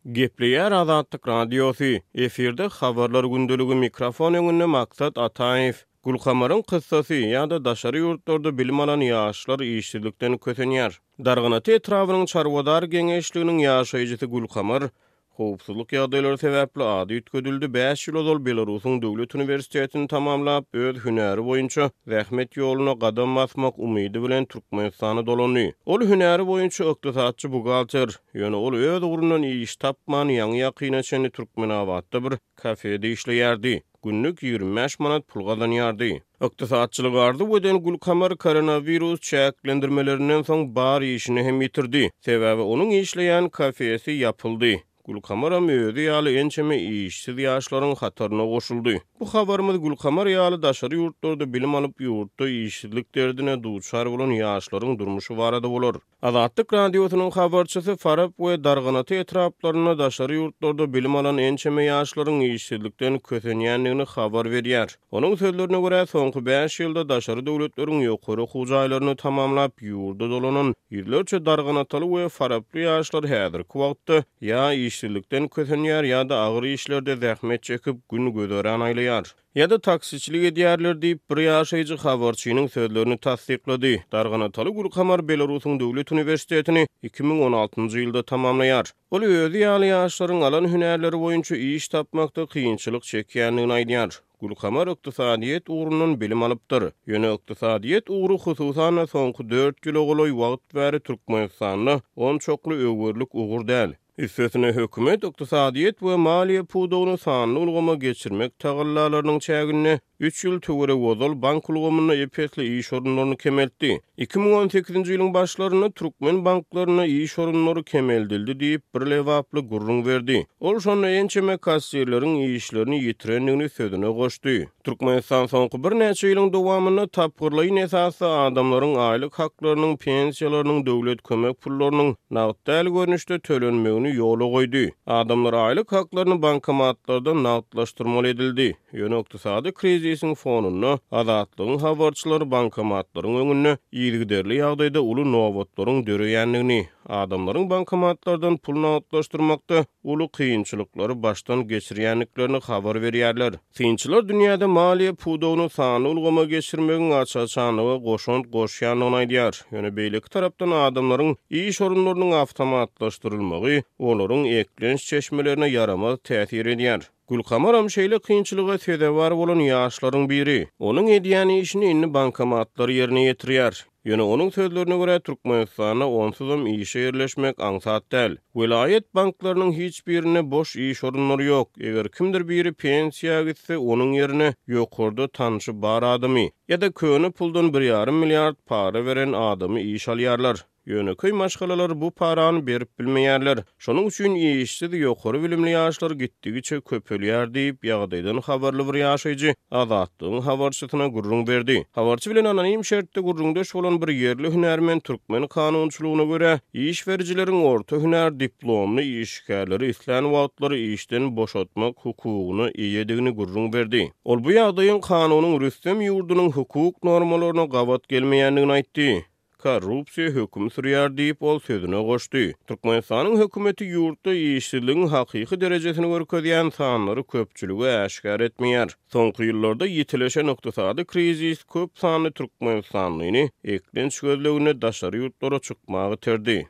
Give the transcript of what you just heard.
Gepleýär Azatlyk Radiosy, efirde Habarlar gündeligi mikrofon öňünde Maksat Ataýew. Gülkamaryň kyssasy ýa-da daşary ýurtlarda bilim alan ýaşlar işsizlikden kösenýär. Darganata etrabynyň Çarwadar geňeşliginiň ýaşaýjysy Gülkamar Howpsuzlyk ýagdaýlary sebäpli ady üýtgedildi. Bäş ýyl ozal Belarusyň döwlet uniwersitetini tamamlap, öz hünäri boýunça zähmet ýoluna gadam basmak umydy bilen Türkmenistana dolandy. Ol hünäri boýunça ykdysatçy-buhgalter. Ýöne ol öz ugrundan iş tapman, ýaňy-ýakyna çenli Türkmenabatda bir kafede işleýärdi. Günlük 25 manat pul gazanýardy. Ykdysatçylygy arzuw eden Gülkamar koronawirus çäklendirmelerinden soň bar işini hem ýitirdi. Sebäbi onuň işleýän kafesi ýapyldy. Gülkamaram özi ýaly ençeme işsiz ýaşlaryň hataryna goşuldy. Bu habarymyz Gülkamar ýaly daşary ýurtlarda bilim alyp ýurtda işsizlik derdine duçar bolan ýaşlaryň durmuşy barada bolar. Azatlyk Radiosynyň habarçysy Farap we Darganata etraplarynda daşary ýurtlarda bilim alan ençeme ýaşlaryň işsizlikden kösenýändigini habar berýär. Onuň sözlerine görä, soňky bäş ýylda daşary döwletleriň ýokary okuw jaýlaryny tamamlap, ýurda dolanan ýüzlerçe darganataly we faraply ýaşlar häzirki wagtda ýa işsizlikden kösenýär ýa-da agyr işlerde zähmet çekip, gün-güzeran aýlaýar. Ýa-da taksiçilik edýärler diýip, bir ýaşaýjy habarçynyň sözlerini tassyklady. Darganataly Gülkamar Belarusyň döwlet uniwersitetini 2016-njy ýylda tamamlaýar. Ol özi ýaly ýaşlaryň alan hünärleri boýunça iş tapmakda kynçylyk çekýändigini aýdýar. Gülkamar ykdysadyýet ugrundan bilim alypdyr. Ýöne ykdysadyýet ugry hususan-da soňky dört ýyla golaý wagt bäri Türkmenistanda onçakly öwerlik ugur däl. Üstesine, hökümet ykdysadyýet we maliýe pudagyny sanly ulgama geçirmek tagallalarynyň çäginde üç ýyl töweregi ozal bank ulgamynda ep-esli iş orunlaryny kemeltdi. 2018-nji ýylyň başlarynda türkmen banklarynda iş orunlary kemeldildi diýip, bir lebaply gürrüň berdi. Ol şonda ençeme kassirleriň işlerini ýitirendigini sözüne goşdy. Türkmenistan soňky birnäçe ýylyň dowamynda tapgyrlaýyn esasda adamlaryň aýlyk haklarynyň, pensiýalarynyň, döwlet kömek pullarynyň nagt däl görnüşde tölenmegini ýola goýdy. Adamlar aýlyk haklaryny bankomatlarda nagtlaşdyrmaly edildi. Ýöne ykdysady krizisiň fonunda Azatlygyň habarçylary bankomatlaryň öňünde yzygiderli ýagdaýda uly nobatlaryň döreýändigini, adamlaryň bankomatlardan pul nagtlaşdyrmakda uly kynçylyklary başdan geçirýändiklerini habar berýärler. Synçylar dünýäde maliýe pudagyny sanly ulgama geçirmegiň aç-açanlyga goşant goşýandygyny aýdýar. Ýöne beýleki tarapdan adamlaryň iş orunlarynyň awtomatlaşdyrylmagy olaryň eklenç çeşmelerine ýaramaz täsir edýär. Gülkamaram şeýle kynçylyga sezewar bolan ýaşlaryň biri. Onuň edýän işini indi bankomatlar ýerine ýetirýär. Ýöne onuň sözlerine görä, Türkmenistanda onsuzam işe ýerleşmek aňsat däl. Welaýat banklarynyň hiç birinde boş iş orunlary ýok. Eger kimdir biri pensiýa gitse, onuň ýerine ýokarda tanşy bar adamy, ýa-da köne puldan bir ýarym milliard para beren adamy işe alýarlar. Ýönekeý maşgalalar bu parany berip bilmeýärler. Şonuň üçin işsiz ýokary bilimli ýaşlar gitdigiçe köpelýär diýip, ýagdaýdan habarly bir ýaşaýjy Azatlygyň habarçysyna gürrüň berdi. Habarçy bilen anonim şertde gürrüňdeş bolan bir ýerli hünärmen türkmen kanunçylygyna görä, iş berijileriň orta hünär diplomly işgärleri islän wagtlary işden boşatmak hukugyna eýedigini gürrüň berdi. Ol bu ýagdaýyň kanunyň rüstem ýurdunyň hukuk normalaryna gabat gelmeýändigini aýtdy. Korrupsiýa höküm sürýär diýip, ol sözüne goşdy. Türkmenistanyň hökümeti ýurtda işsizligiň hakyky derejesini görkezýän sanlary köpçülige äşgär etmeýär. Soňky ýyllarda ýitileşen ykdysady krizis köp sanly türkmenistanlyny eklenç gözleginde daşary ýurtlara çykmaga iterdi.